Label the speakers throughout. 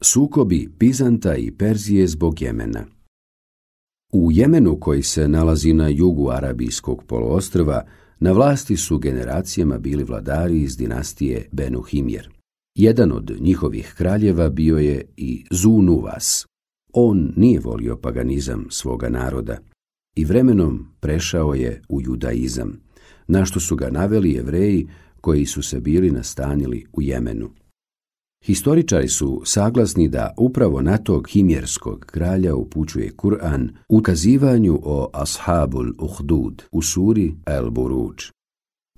Speaker 1: Sukobi Bizanta i Perzije zbog Jemena. U Jemenu, koji se nalazi na jugu Arabijskog poluostrva, na vlasti su generacijama bili vladari iz dinastije Benu Himjer. Jedan od njihovih kraljeva bio je i Zu-Nuvas. On nije volio paganizam svoga naroda i vremenom prešao je u judaizam, na što su ga naveli Jevreji koji su se bili nastanili u Jemenu. Historičari su saglasni da upravo na tog himjerskog kralja upućuje Kur'an u kazivanju o Ashabul Uhdud u suri El Buruđ.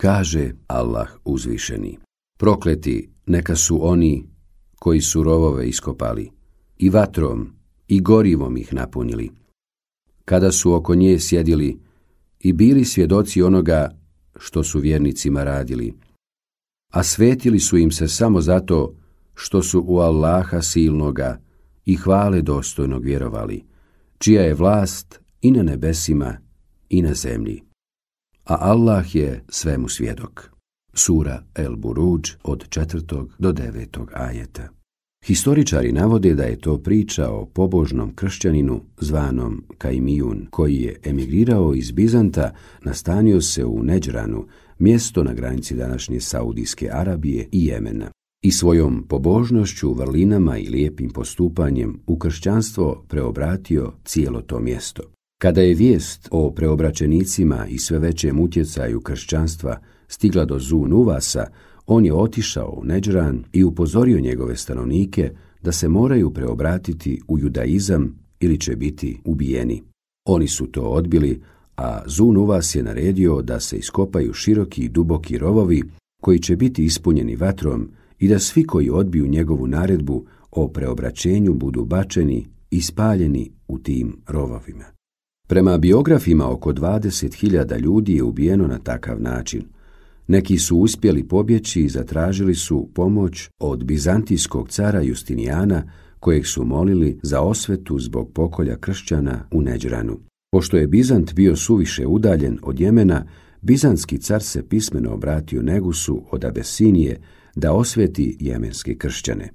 Speaker 1: Kaže Allah uzvišeni: prokleti neka su oni koji su rovove iskopali i vatrom i gorivom ih napunili, kada su oko nje sjedili i bili svjedoci onoga što su vjernicima radili, a svetili su im se samo zato što su u Allaha silnoga i hvale dostojnog vjerovali, čija je vlast i na nebesima i na zemlji. A Allah je svemu svjedok. Sura El Buruđ od 4. do 9. ajeta. Historičari navode da je to priča o pobožnom kršćaninu zvanom Kajmijun, koji je emigrirao iz Bizanta, nastanio se u Neđranu, mjesto na granici današnje Saudijske Arabije i Jemena, i svojom pobožnošću, vrlinama i lijepim postupanjem u kršćanstvo preobratio cijelo to mjesto. Kada je vijest o preobraćenicima i sve većem utjecaju kršćanstva stigla do Zu-Nuvasa, on je otišao u Neđran i upozorio njegove stanovnike da se moraju preobratiti u judaizam ili će biti ubijeni. Oni su to odbili, a Zu-Nuvas je naredio da se iskopaju široki i duboki rovovi koji će biti ispunjeni vatrom i da svi koji odbiju njegovu naredbu o preobraćenju budu bačeni i spaljeni u tim rovovima. Prema biografima, oko 20.000 ljudi je ubijeno na takav način. Neki su uspjeli pobjeći i zatražili su pomoć od bizantijskog cara Justinijana, kojeg su molili za osvetu zbog pokolja kršćana u Neđranu. Pošto je Bizant bio suviše udaljen od Jemena, bizantski car se pismeno obratio Negusu od Abesinije da osveti jemenske kršćane.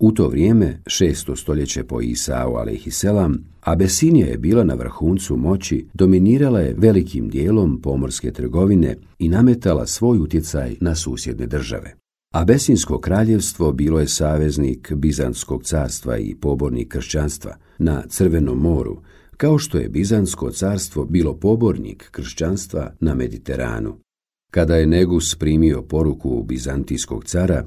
Speaker 1: U to vrijeme, 6. stoljeće po Isau alejhiselam, Abesinija je bila na vrhuncu moći, dominirala je velikim dijelom pomorske trgovine i nametala svoj utjecaj na susjedne države. Abesinsko kraljevstvo bilo je saveznik Bizantskog carstva i pobornik kršćanstva na Crvenom moru, kao što je Bizantsko carstvo bilo pobornik kršćanstva na Mediteranu. Kada je Negus primio poruku bizantijskog cara,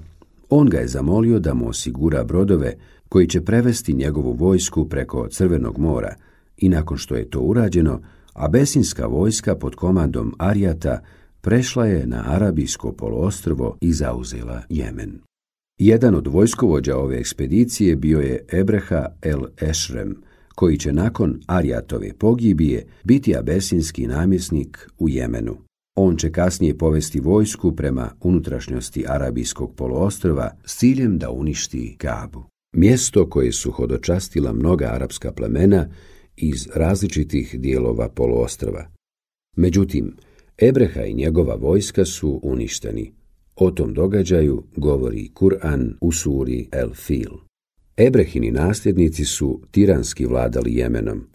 Speaker 1: on ga je zamolio da mu osigura brodove koji će prevesti njegovu vojsku preko Crvenog mora i nakon što je to urađeno, abesinska vojska pod komandom Arijata prešla je na Arabijsko poluostrvo i zauzela Jemen. Jedan od vojskovođa ove ekspedicije bio je Ebreha el Ešrem, koji će nakon Arijatove pogibije biti abesinski namjesnik u Jemenu. On će kasnije povesti vojsku prema unutrašnjosti Arabijskog poluostrva s ciljem da uništi Kabu, mjesto koje su hodočastila mnoga arapska plemena iz različitih dijelova poluostrva. Međutim, Ebreha i njegova vojska su uništeni. O tom događaju govori Kur'an u suri El Fil. Ebrehini nasljednici su tiranski vladali Jemenom.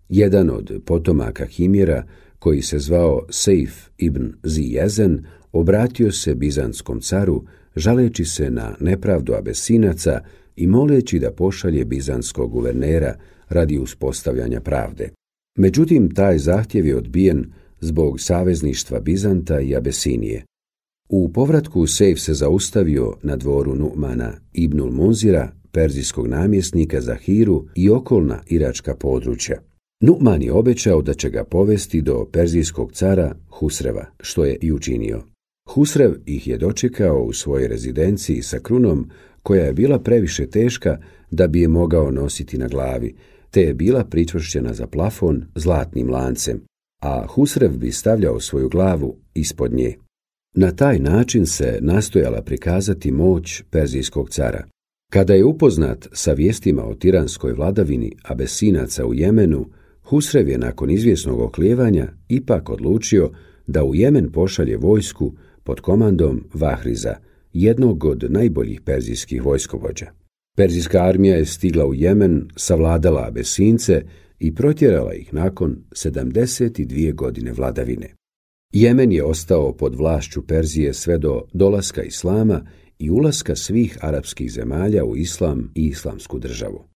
Speaker 1: Jedan od potomaka Himjera, koji se zvao Sejf ibn Zijezen, obratio se bizantskom caru, žaleći se na nepravdu Abesinaca i moleći da pošalje bizantskog guvernera radi uspostavljanja pravde. Međutim, taj zahtjev je odbijen zbog savezništva Bizanta i Abesinije. U povratku Sejf se zaustavio na dvoru Nu'mana ibnul Munzira, perzijskog namjesnika za Hiru i okolna iračka područja. Nu'man je obećao da će ga povesti do perzijskog cara Husreva, što je i učinio. Husrev ih je dočekao u svojoj rezidenciji sa krunom koja je bila previše teška da bi je mogao nositi na glavi, te je bila pričvršćena za plafon zlatnim lancem, a Husrev bi stavljao svoju glavu ispod nje. Na taj način se nastojala prikazati moć perzijskog cara. Kada je upoznat sa vijestima o tiranskoj vladavini Abesinaca u Jemenu, Husrev je nakon izvjesnog oklijevanja ipak odlučio da u Jemen pošalje vojsku pod komandom Vahriza, jednog od najboljih perzijskih vojskovođa. Perzijska armija je stigla u Jemen, savladala Abesince i protjerala ih nakon 72 godine vladavine. Jemen je ostao pod vlašću Perzije sve do dolaska islama i ulaska svih arapskih zemalja u islam i islamsku državu.